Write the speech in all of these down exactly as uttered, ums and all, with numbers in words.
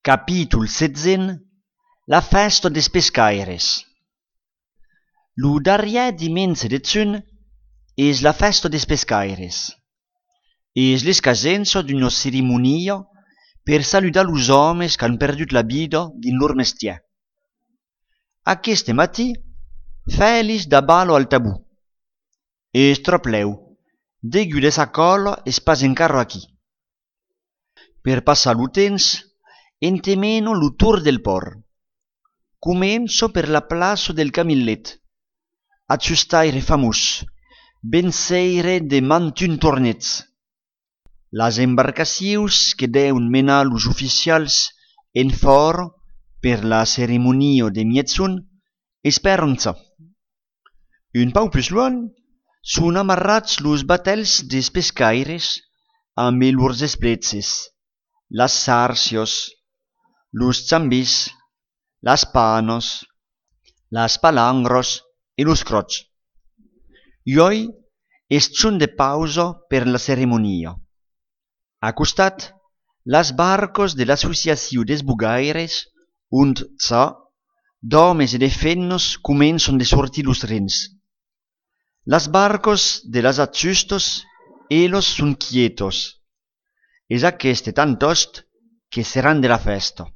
Capítol setzent. La festa des pescaires. Lo darrièr dimenze de zun es la festa des pescaires. Es l'escasenza d'una ceremonia per saludar los homes qu'han perdut la vida din lor mestièr. Aqueste matí, Félix da balo al tabú. Es tropleu, degut de sa cola es pas encara aquí. Per passar lo temps, entemeno lo tour del port. Comenzo per la plaça del Camillet, a sustaire famus, benseire de mantun tornets. Las embarcacions que deun menar los oficials en fora per la ceremonia de mietzun esperan ça. Un pau plus luan, sun amarrats los batels des pescaires amb lors esplezes, las sarcios, los chambis, las panos, las palangros e los crocs. I hoy es chun de pausa per la ceremonia. A costat, las barcos de l'associació des bugaires und ça, d'homes e de fennos començan de sortir los rens. Las barcos de las atzustos, elos sun quietos. Es aqueste tan tost que seran de la festa.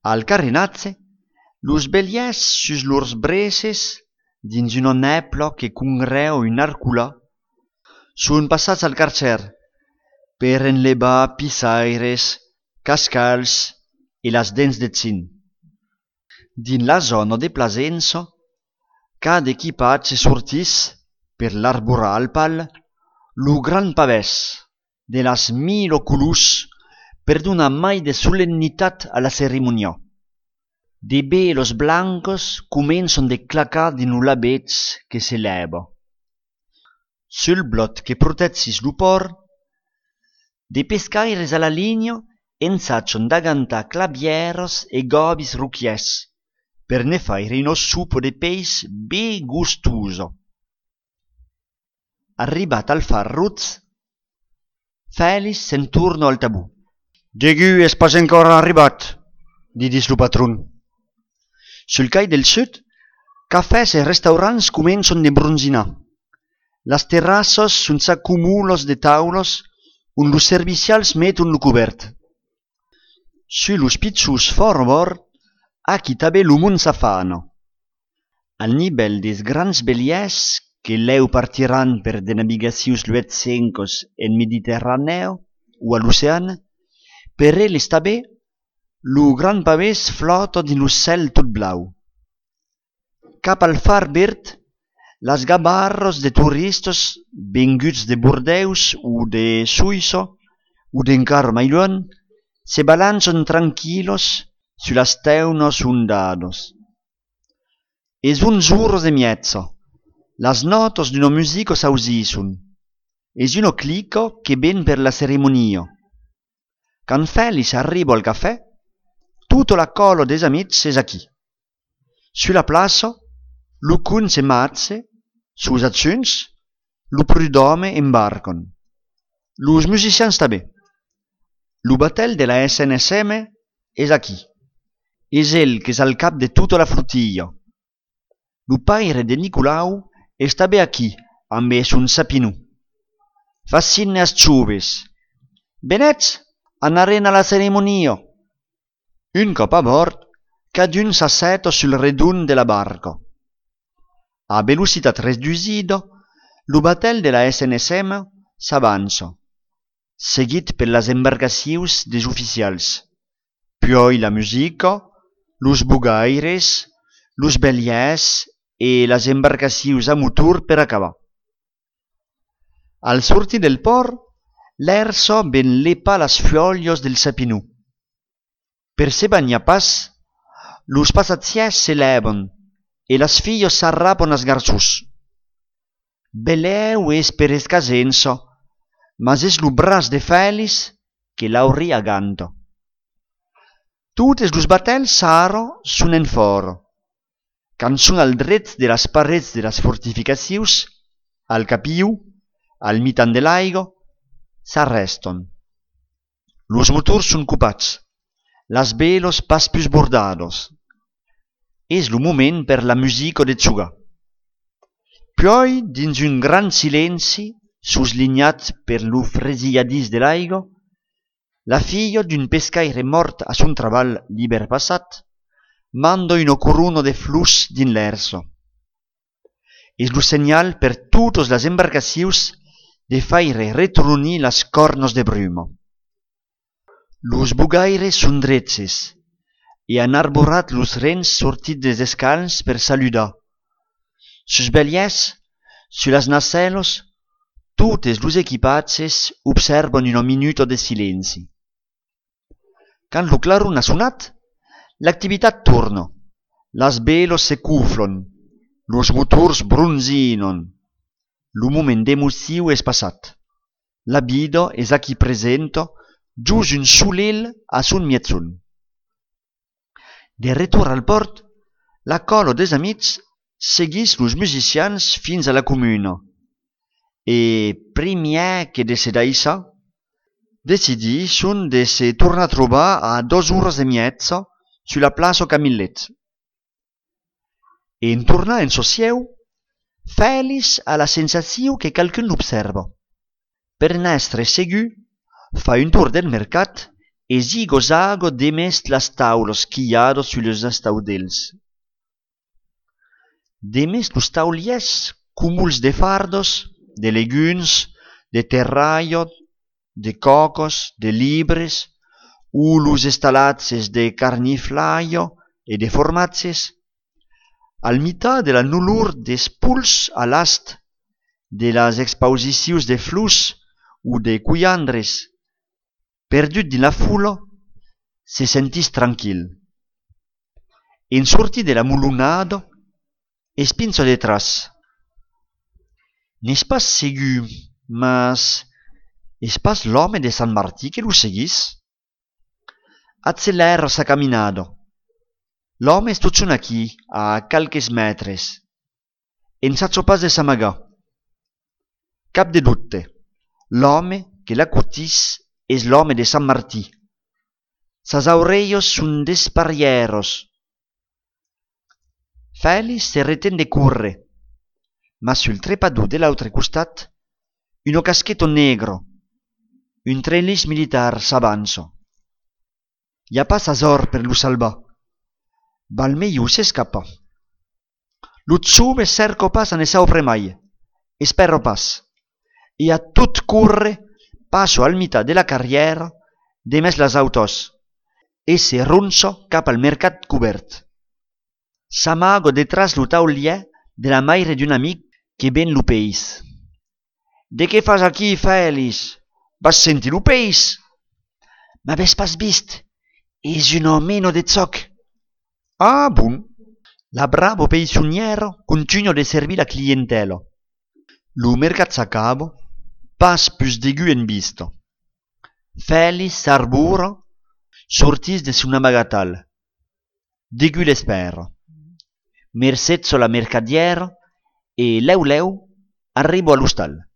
Al carrinatze, los beliers sus lors breces, dins una nepla que congreu un arcula, sun passats al carcer per enlevar pissaires, cascals e las dents de zin. Din la zona de plasença, cada equipatge sortís per l'arborar al pal lo gran pavès de las mil colors per donar mai de solennitat a la ceremonia. De velos blancos començan de clacar din lo labets que s'eleva. Sul blot que protezzis lo port, de pescaires a la linea ensaccian d'agantar clavieros e gobis ruchies per ne faire uno supo de peix be gustoso. Arribat al far ruz, Félix se'n torna al tabú. «Degu es pas encara arribat», didis lo patron. Sul cai del sud, cafès e restaurants començan de bronzinar. Las terrassos sun s'accumulos de taulos on los servicials meton lo cobert. Su los pizzos forbord, aquí també lo món s'afana. Al nivell des grans beliers que leu partiran per de navigacions luetsencos en Mediterraneo o a l'ocean, per elles també lo gran pavès flota din lo cel tot blau. Cap al far verd, las gabarros de turistes venguts de Bordeus o de Suïssa o d'encara mai luan se balancen tranquilos su las teunos ondados. Es un giorno de miezza. Las notas d'una musica s'ausisson. Es uno clico che ben per la ceremonia. Quand Félix arriba al cafè, tutta la cola des amics es aquí. Sulla plaça, lo cun se matze, sus accions, lo prud'home embarcan. Los musicians també. Lo batel de la S N S M es aquí. Es el que és al cap de tota la flotilla. Lo paire de Nicolau es també aquí, amb es un sapinú. Fascinne as ciuves. Benets, anaren a la ceremonia. Un cop a bord, cadun s'asseta sul redun de la barca. A velocitat reducida, lo batel de la S N S M s'avança, seguit per las embarcacions des oficials, puis la musica, los bugaires, los beliers e las embarcacions a motor per acabar. Al sortir del port, l'air so ben lepa las fiolios del sapinú. Per se bagnar pas, los passatgiers s'elevan e las filles s'arrapan as garçons. Beleu es per escasença, mas es lo bras de Félix que l'auria ganta. Totes los batels s'ara sun en fora. Quand sun al dret de las parets de las fortificacions, al capiu, al mitan de l'aigua, s'arrestan. Los motors sun copats. las velos pas plus bordados. És lo moment per la musica de xugar. Poi, dins un gran silenci, suslignat per lo fresilladís de l'aigua, la filla d'un pescaire mort a son treball l'hiver passat manda una corona de flus din l'erso. És lo senyal per totes les embarcacions de faire retrunir las cornos de bruma. Los bugaires son dretses e han arborat los rens sortit des escalns per saludar. Sus beliès, su las nacellos, totes los equipatges observan una minuta de silenci. Quand lo clarun ha sonat, l'activitat torna. Las velos se cuflon, los motors bronzinon. Lo moment d'emoció és passat. La vida és aquí presenta, just un solel a son mietzun. De retorn al port, la cola des amics seguís los musicians fins a la comuna. E primièr que de se daïssa, decidisson de se tornar a trobar a dos horas e miezza sulla plaça Camillet. En tornar en socieu, Fèlix ha la sensació que qualcun l'observa. Per n'estre segur, fa un tour del mercat e zigo-zago demest las taules quilladas sus estaudells. Demest los tauliers cúmuls de fardos, de leguns, de terraio, de cocos, de libres, u los estalatges de carniflaio e de formatges, al mitad de la nullur d'espults a l'ast, de las exposicions de flus u de cuiandres, perdut din la fula, se sentís tranquil. En sortir de la mulunada, es pinsa detrás. N'és pas segur, mas és pas l'home de Sant Martí que lo seguís? Accelera sa caminada. L'home es tot aquí, a calques metres. En s'atso pas de s'amagar. Cap de dubte, l'home que l'acutís és l'home de Sant Martí. Sas aurellos son desparrieros. Fèlix se retén de córrer, mas sul trepador de l'altre costat, un casquetto negro, un trelis militar s'avança. Hi ha pas azor per lo salvar. Val meglio s'escapa. Lo zube cerco pas a ne saupre mai. Espero pas. E a tot corre passo al mitad de la carriera demés las autos e se ronza cap al mercat cobert. S'amaga detrás lo taulier de la maire d'un amic que ven lo peix. De què fas aquí, Fèlix? Vas sentir lo peix? M'aves pas vist? És una mena de zoc. Ah, bon. La bravo peissoniera continua de servir la clientela. Lo mercat s'acaba, pas plus d'aigu en vista. Fèlix s'arbura, sortís de son amagatal. D'aigu l'espera. Mercetzo la mercadiera e leu leu arribo a l'hostal.